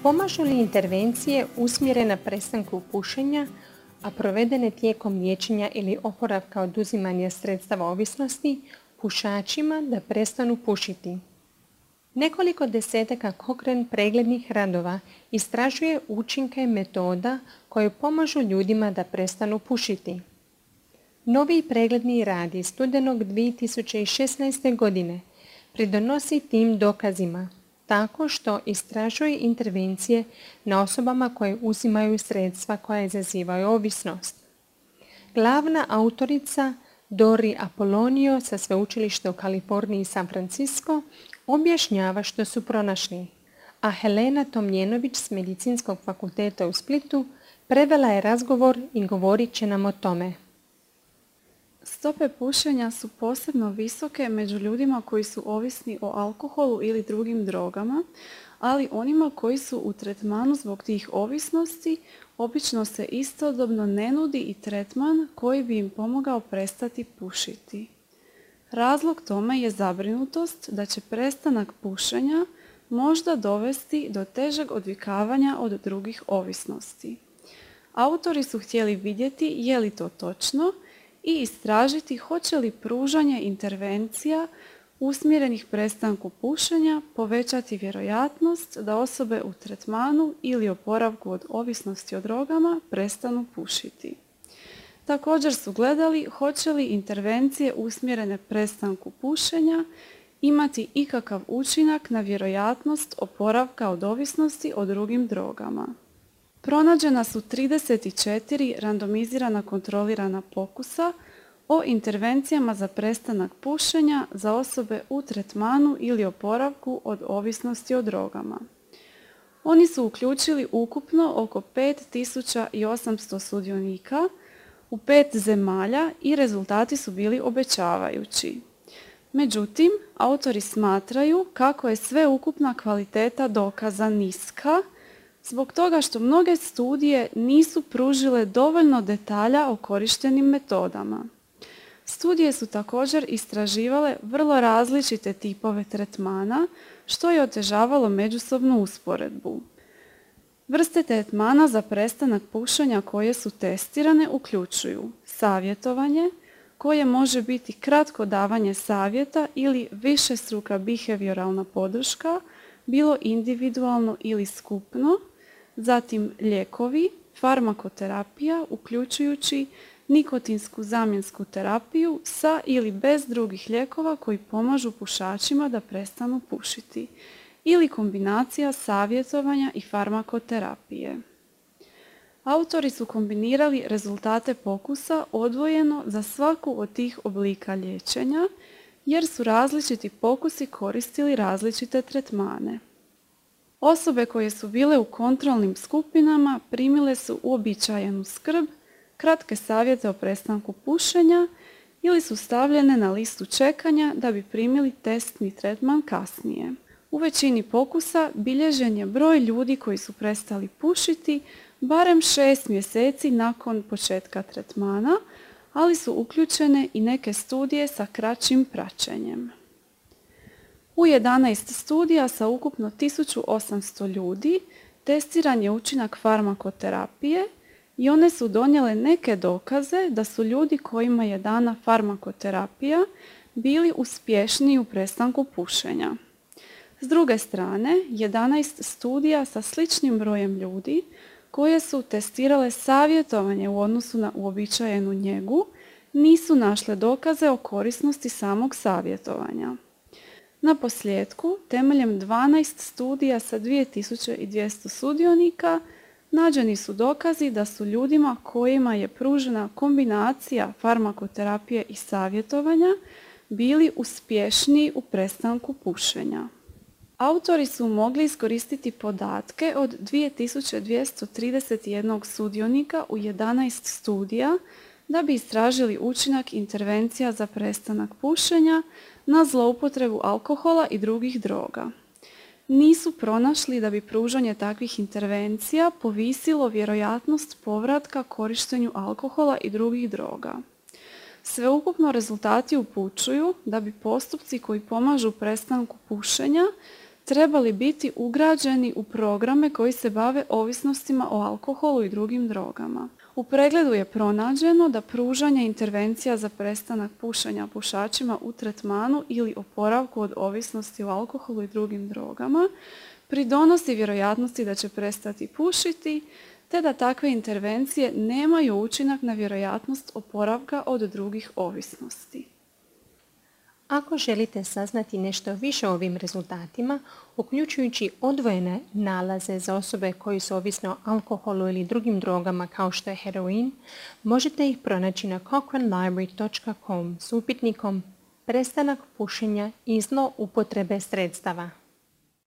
Pomažu li intervencije usmjerene na prestanku pušenja, a provedene tijekom liječenja ili oporavka oduzimanja sredstava ovisnosti pušačima da prestanu pušiti? Nekoliko desetaka Cochrane preglednih radova istražuje učinke metoda koje pomažu ljudima da prestanu pušiti. Novi pregledni rad iz studenog 2016. godine pridonosi tim dokazima tako što istražuje intervencije na osobama koje uzimaju sredstva koja izazivaju ovisnost. Glavna autorica Dori Apollonio sa sveučilišta u Kaliforniji i San Francisco objašnjava što su pronašli, a Helena Tomljenović s Medicinskog fakulteta u Splitu prevela je razgovor i govorit će nam o tome. Stope pušenja su posebno visoke među ljudima koji su ovisni o alkoholu ili drugim drogama, ali onima koji su u tretmanu zbog tih ovisnosti obično se istodobno ne nudi i tretman koji bi im pomogao prestati pušiti. Razlog tome je zabrinutost da će prestanak pušenja možda dovesti do težeg odvikavanja od drugih ovisnosti. Autori su htjeli vidjeti je li to točno i istražiti hoće li pružanje intervencija usmjerenih prestanku pušenja povećati vjerojatnost da osobe u tretmanu ili oporavku od ovisnosti o drogama prestanu pušiti. Također su gledali hoće li intervencije usmjerene prestanku pušenja imati ikakav učinak na vjerojatnost oporavka od ovisnosti o drugim drogama. Pronađena su 34 randomizirana kontrolirana pokusa o intervencijama za prestanak pušenja za osobe u tretmanu ili oporavku od ovisnosti o drogama. Oni su uključili ukupno oko 5800 sudionika u 5 zemalja i rezultati su bili obećavajući. Međutim, autori smatraju kako je sveukupna kvaliteta dokaza niska, zbog toga što mnoge studije nisu pružile dovoljno detalja o korištenim metodama. Studije su također istraživale vrlo različite tipove tretmana, što je otežavalo međusobnu usporedbu. Vrste tretmana za prestanak pušenja koje su testirane uključuju savjetovanje, koje može biti kratko davanje savjeta ili višestruka behavioralna podrška, bilo individualno ili skupno, zatim lijekovi, farmakoterapija uključujući nikotinsku zamjensku terapiju sa ili bez drugih lijekova koji pomažu pušačima da prestanu pušiti ili kombinacija savjetovanja i farmakoterapije. Autori su kombinirali rezultate pokusa odvojeno za svaku od tih oblika liječenja jer su različiti pokusi koristili različite tretmane. Osobe koje su bile u kontrolnim skupinama primile su uobičajenu skrb, kratke savjete o prestanku pušenja ili su stavljene na listu čekanja da bi primili testni tretman kasnije. U većini pokusa bilježen je broj ljudi koji su prestali pušiti barem 6 mjeseci nakon početka tretmana, ali su uključene i neke studije sa kraćim praćenjem. U 11 studija sa ukupno 1800 ljudi testiran je učinak farmakoterapije i one su donijele neke dokaze da su ljudi kojima je dana farmakoterapija bili uspješniji u prestanku pušenja. S druge strane, 11 studija sa sličnim brojem ljudi koje su testirale savjetovanje u odnosu na uobičajenu njegu nisu našle dokaze o korisnosti samog savjetovanja. Na posljetku, temeljem 12 studija sa 2200 sudionika, nađeni su dokazi da su ljudima kojima je pružena kombinacija farmakoterapije i savjetovanja bili uspješniji u prestanku pušenja. Autori su mogli iskoristiti podatke od 2231 sudionika u 11 studija da bi istražili učinak intervencija za prestanak pušenja na zloupotrebu alkohola i drugih droga. Nisu pronašli da bi pružanje takvih intervencija povisilo vjerojatnost povratka korištenju alkohola i drugih droga. Sveukupno rezultati upućuju da bi postupci koji pomažu prestanku pušenja trebali biti ugrađeni u programe koji se bave ovisnostima o alkoholu i drugim drogama. U pregledu je pronađeno da pružanje intervencija za prestanak pušenja pušačima u tretmanu ili oporavku od ovisnosti o alkoholu i drugim drogama pridonosi vjerojatnosti da će prestati pušiti, te da takve intervencije nemaju učinak na vjerojatnost oporavka od drugih ovisnosti. Ako želite saznati nešto više o ovim rezultatima, uključujući odvojene nalaze za osobe koji su ovisne o alkoholu ili drugim drogama kao što je heroin, možete ih pronaći na cochranelibrary.com s upitnikom Prestanak pušenja i zloupotrebe sredstava.